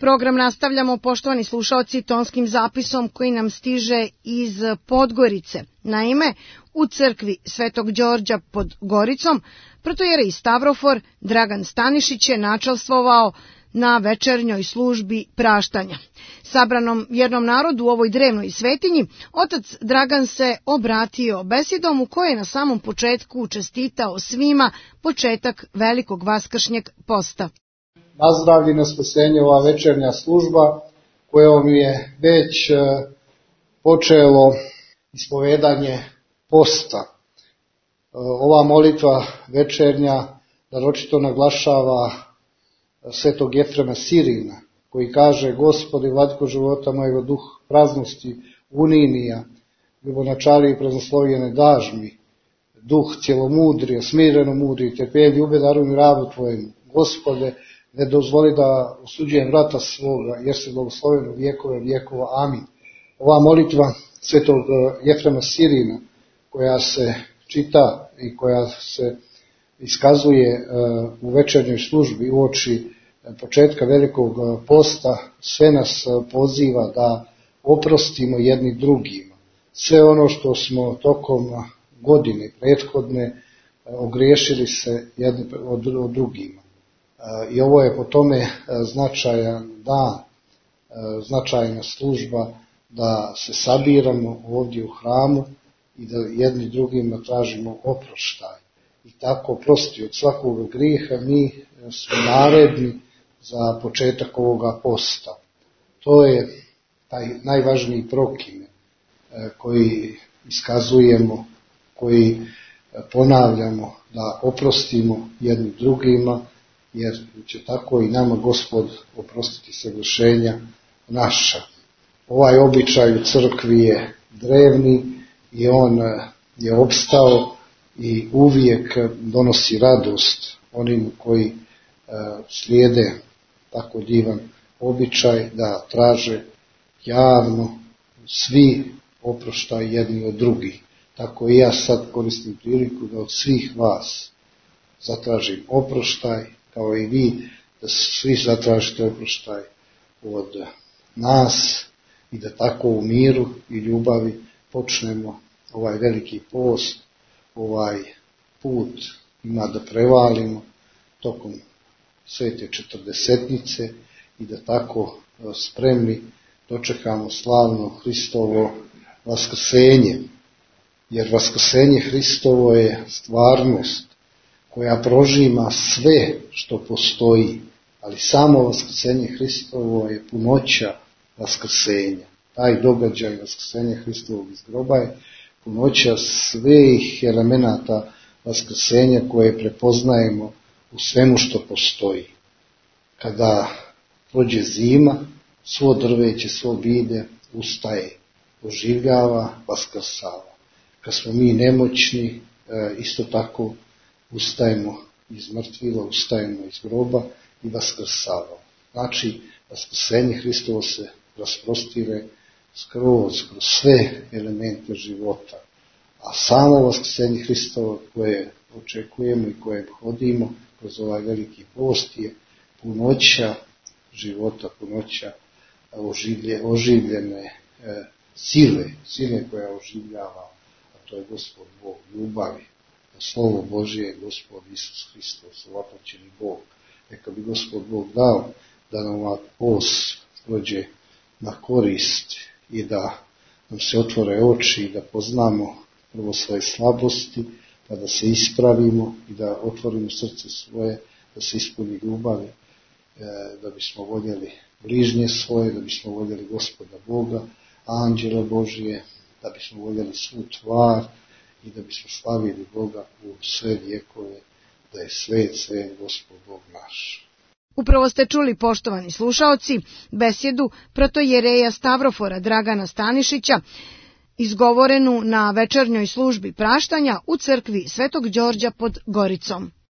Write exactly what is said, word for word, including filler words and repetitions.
Program nastavljamo, poštovani slušaoci, tonskim zapisom koji nam stiže iz Podgorice. Naime, u crkvi Svetog Đorđa pod Goricom protojerej Stavrofor Dragan Stanišić je načelstvovao na večernjoj službi praštanja. Sabranom jednom narodu u ovoj drevnoj svetinji, otac Dragan se obratio besedom u kojoj je na samom početku čestitao svima početak velikog vaskršnjeg posta. Nazdravlje na spasenje ova večernja služba kojom je već počelo ispovedanje posta. Ova molitva večernja naročito naglašava svetog Jefrema Sirina, koji kaže: Gospodi, vladiko života mojega, duh praznosti uninija, ljubonačari i praznoslovljene dažmi, duh cjelomudrije, smireno mudri, trpelj ljube daruj mi rabu tvojemu. Gospode, ne dozvoli da osuđujem vrata svoga, jer se blagosloven u vjekove vjekova. Amin. Ova molitva svetog Jefrema Sirina, koja se čita i koja se iskazuje u večernjoj službi uoči početka velikog posta, sve nas poziva da oprostimo jedni drugima. Sve ono što smo tokom godine prethodne ogriješili se jedni od drugima. I ovo je po tome značajan dan, značajna služba da se sabiramo ovdje u hramu i da jedni drugima tražimo oproštaj. I tako prosti od svakog grijeha mi smo naredni za početak ovoga posta. To je taj najvažniji prokime koji iskazujemo, koji ponavljamo, da oprostimo jednim drugima, jer će tako i nama Gospod oprostiti sagrešenja naša. Ovaj običaj u crkvi je drevni i on je opstao i uvijek donosi radost onim koji slijede tako divan običaj da traže javno svi oproštaj jedni od drugih. Tako i ja sad koristim priliku da od svih vas zatražim oproštaj, kao i vi da svi zatražite oproštaj od nas i da tako u miru i ljubavi počnemo ovaj veliki post, ovaj put ima da prevalimo tokom svete četrdesetnice i da tako spremni dočekamo slavno Hristovo vaskrsenje. Jer vaskrsenje Hristovo je stvarnost koja prožima sve što postoji, ali samo vaskrsenje Hristovo je punoća vaskrsenja. Taj događaj vaskrsenja Hristovog iz groba je punoća svih elemenata vaskrsenja koje prepoznajemo u svemu što postoji. Kada prođe zima, svo drveće, svo bilje ustaje, oživljava, vaskrsava. Kad smo mi nemoćni, isto tako ustajemo iz mrtvila, ustajemo iz groba i vaskrsavamo. Znači, vaskrsenje Hristovo se rasprostire skroz, kroz sve elemente života. A samo vaskrsenje Hristovo koje očekujemo i koje hodimo kroz ovaj veliki post je punoća života, punoća oživlje, oživljene e, sile, sile koja oživljava, a to je Gospod Bog ljubavi. Slovo Božje je Gospod Isus Hristos, ovaploćeni Bog. Neka bi Gospod Bog dao da nam ovaj post prođe na korist i da nam se otvore oči i da poznamo prvo svoje slabosti, pa da se ispravimo i da otvorimo srce svoje, da se ispuni ljubavi, da bismo voljeli bližnje svoje, da bismo voljeli Gospoda Boga, anđela Božije, da bismo voljeli svu tvar i da bismo slavili Boga u sve vjekove, da je svet, svet Gospod Bog naš. Upravo ste čuli, poštovani slušaoci, besedu protojereja Stavrofora Dragana Stanišića, izgovorenu na večernjoj službi praštanja u crkvi Svetog Đorđa pod Goricom.